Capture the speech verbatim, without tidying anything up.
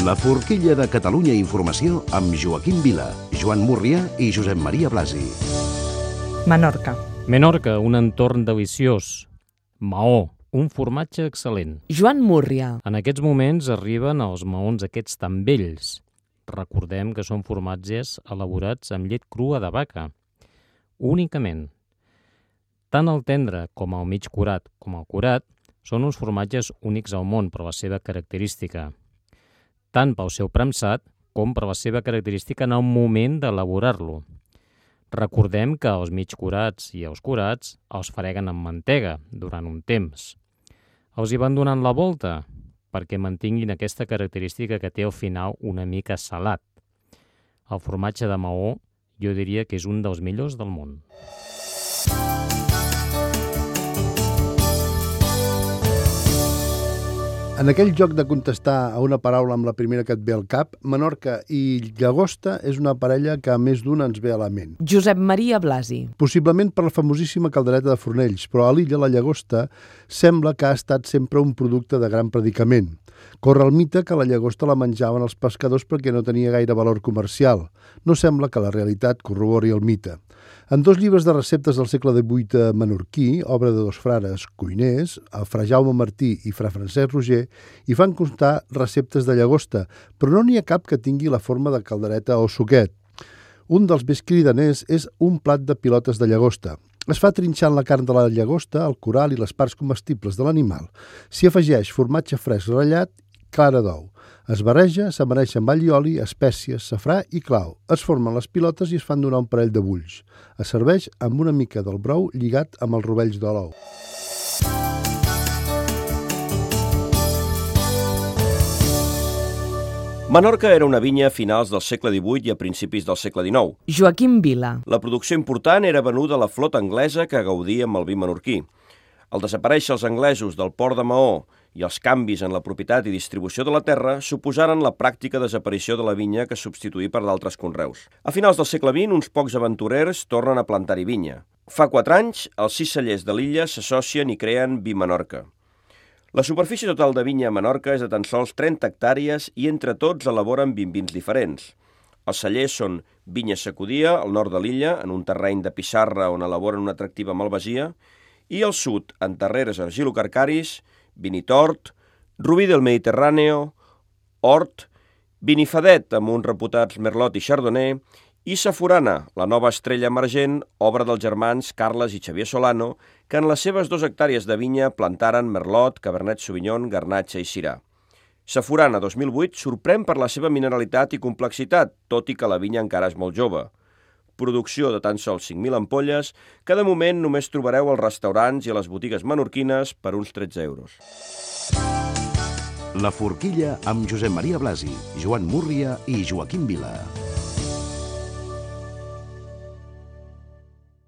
La forquilla de Catalunya Informació amb Joaquim Vila, Joan Múrria i Josep Maria Blasi. Menorca. Menorca, un entorn deliciós. Maó, un formatge excel·lent. Joan Múrria. En aquests moments arriben els maons aquests tan vells. Recordem que són formatges elaborats amb llet crua de vaca. Únicament. Tant el tendre com el mig curat com el curat són uns formatges únics al món per la seva característica. Tant pel seu premsat com per la seva característica en el moment d'elaborar-lo. Recordem que els mig curats i els curats els freguen amb mantega durant un temps. Els hi van donant la volta perquè mantinguin aquesta característica que té al final una mica salat. El formatge de Maó jo diria que és un dels millors del món. En aquell joc de contestar a una paraula amb la primera que et ve al cap, Menorca i Llagosta és una parella que a més d'una ens ve a la ment. Josep Maria Blasi. Possiblement per la famosíssima caldereta de Fornells, però a l'illa la llagosta sembla que ha estat sempre un producte de gran predicament. Corre el mite que la llagosta la menjaven els pescadors perquè no tenia gaire valor comercial. No sembla que la realitat corrobori el mite. En dos llibres de receptes del segle divuit menorquí, obra de dos frares cuiners, el fra Jaume Martí i fra Francesc Roger, hi fan constar receptes de llagosta, però no n'hi ha cap que tingui la forma de caldereta o suquet. Un dels més cridaners és un plat de pilotes de llagosta. Es fa trinxant la carn de la llagosta, el coral i les parts comestibles de l'animal. S'hi afegeix formatge fresc ratllat, clara d'ou. Es barreja, s'amaneix amb all i oli, espècies, safrà i clau. Es formen les pilotes i es fan donar un parell de bulls. Es serveix amb una mica del brou lligat amb els rovells de l'ou. Menorca era una vinya a finals del segle divuit i a principis del segle dinou. Joaquim Vila. La producció important era venuda a la flota anglesa que gaudia amb el vi menorquí. Al desaparèixer els anglesos del port de Maó i els canvis en la propietat i distribució de la terra suposaren la pràctica desaparició de la vinya que substituí per d'altres conreus. A finals del segle vint, uns pocs aventurers tornen a plantar-hi vinya. Fa quatre anys, els sis cellers de l'illa s'associen i creen Vi Menorca. La superfície total de vinya a Menorca és de tan sols trenta hectàrees i entre tots elaboren vint vins diferents. Els cellers són Vinya Sacudia, al nord de l'illa, en un terreny de pissarra on elaboren una atractiva malvasia, i al sud, en terreres argilocarcaris, Vinitort, Rubí del Mediterráneo, Hort, Vinifadet amb uns reputats Merlot i Chardonnay, i Safurana, la nova estrella emergent, obra dels germans Carles i Xavier Solano, que en les seves dues hectàrees de vinya plantaren Merlot, Cabernet Sauvignon, Garnatxa i Syrah. Safurana dos mil vuit sorprèn per la seva mineralitat i complexitat, tot i que la vinya encara és molt jove. Producció de tan sols cinc mil ampolles, que de moment només trobareu als restaurants i a les botigues menorquines per uns tretze euros. La forquilla amb Josep Maria Blasi, Joan Múrria i Joaquim Vila.